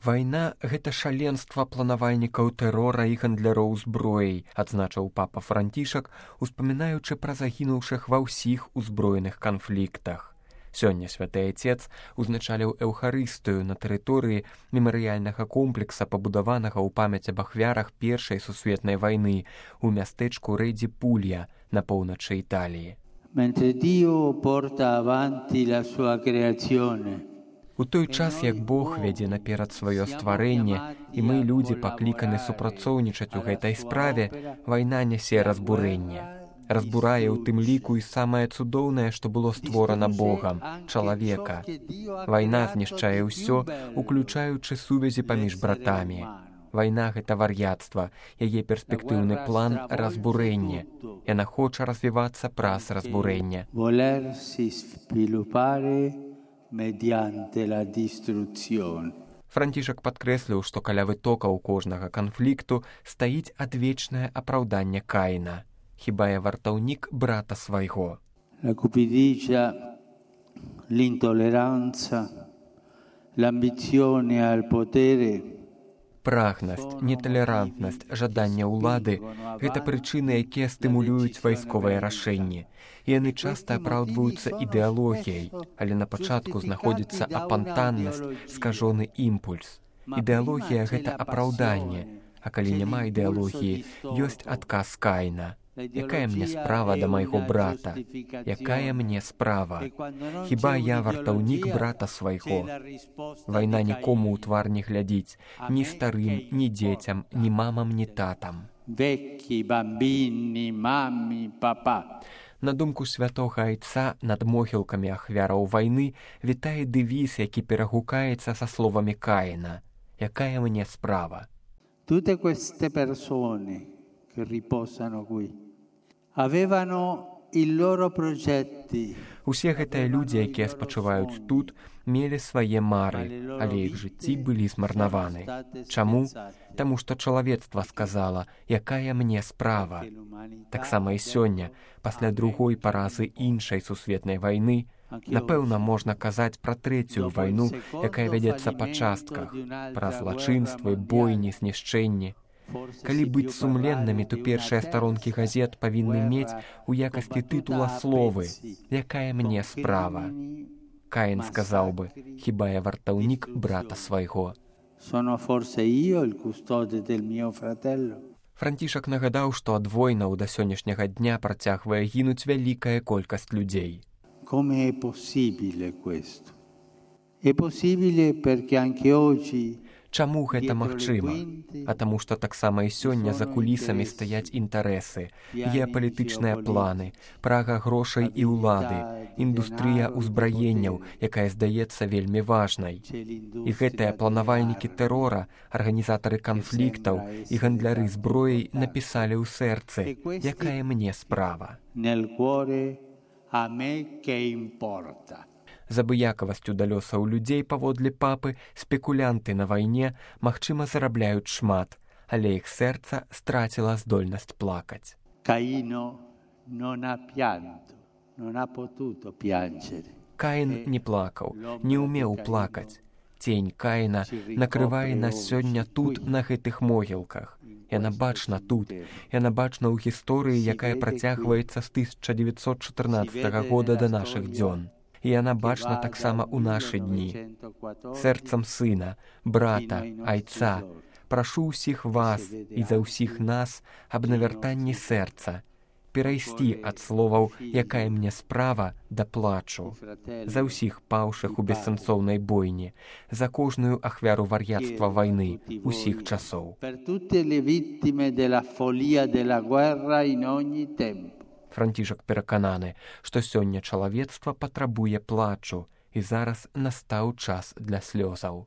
Вайна – гэта шаленства планавальнікаў тэрора і гандляроў зброяй, адзначыў папа Францішак, успамінаючы пра загінуўшых ва ўсіх узброеных канфліктах. Сёння святы Айцец узначаліў эўхарыстыю на тэрыторыі мемарыяльнага комплекса, пабудаванага ў памяць аб ахвярах Першай сусветнай вайны ў мястэчку Рэдзі Пулья на поўначы Італіі. Mentre Dio porta avanti la sua creazione. У той час, як Бог вядзе наперад сваё стварэнне, і мы, людзі, пакліканы супрацоўнічаць у гэтай справе, вайна нясе разбурэнне. Разбурае ў тым ліку і самае цудоўнае, што было створана Богам – чалавека. Вайна знішчае ўсё, уключаючы сувязі паміж братамі. Вайна – гэта вар'яцтва, яе перспектыўны план – разбурэнне. Яна хоча развівацца праз разбурэнне. Францішак падкрэсліў, што каля вытокаў кожнага канфлікту стаіць адвечнае апраўданне Каіна. Хіба я вартаўнік брата свайго? La cupidigia, l'intolleranza, l'ambizione al potere. Прагнасць, неталерантнасць, жаданне ўлады – гэта прычыны, якія стымулююць вайсковыя рашэнні. Яны часта апраўдваюцца ідэалогіяй, але на пачатку знаходзіцца апантаннасць, скажоны імпульс. Ідэалогія – гэта апраўданне, а калі няма ідэалогіі, ёсць адказ Каіна. Якая мне справа да майго брата? Якая мне справа? Хіба я вартаўнік брата свайго? Вайна нікому ў твар не глядзіць, ні старым, ні дзецям, ні мамам, ні татам. На думку святога Айца, над могілкамі ахвяраў вайны вітае дэвіз, які перагукаецца са словамі Каіна. Якая мне справа? Tutte queste persone che riposano qui avevano i loro progetti. Усе гэтыя людзі, якія спачываюць тут, мелі свае мары, але іх жыцці былі змарнаваны. Чаму? Таму што чалавецтва сказала, якая мне справа. Таксама і сёння, пасля другой паразы іншай сусветнай вайны, напэўна, можна казаць пра трэцюю вайну, якая вядзецца па частках, пра злачынствы, бойні, знішчэнні. Калі быць сумленнымі, то першыя старонкі газет павінны мець у якасці тытула словы «Якая мне справа?». Каін сказаў бы «Хіба я вартаўнік брата свайго?». Францішак нагадаў, што ад войнаў да сённяшняга дня працягвае гінуць вялікая колькасць людзей. Come è possibile questo? È possibile perché anche oggi. Чаму гэта магчыма? А таму, што таксама і сёння за кулісамі стаяць інтарэсы, геапалітычныя планы, прага грошай і ўлады, індустрыя ўзбраенняў, якая здаецца вельмі важнай. І гэтыя планавальнікі тэрора, арганізатары канфліктаў і гандляры зброяй напісалі ў сэрцы, якая мне справа. З абыякавасцю да лёсаў людзей паводле папы спекулянты на вайне, магчыма, зарабляюць шмат, але іх сэрца страціла здольнасць плакаць. Каін не плакаў, не ўмеў плакаць. Цень Каіна накрывае нас сёння тут, на гэтых могілках. Яна бачна тут, яна бачна ў гісторыі, якая працягваецца з 1914 года да нашых дзён. І яна бачна таксама ў нашы дні. Сэрцам сына, брата, Айца, прашу ўсіх вас і за ўсіх нас аб навяртанні сэрца, перайсці ад словаў «якая мне справа» да плачу. За ўсіх паўшых у бессэнсоўнай бойні, за кожную ахвяру вар'яцтва вайны усіх часоў. Францішак перакананы, што сёння чалавецтва патрабуе плачу, і зараз настаў час для слёзаў.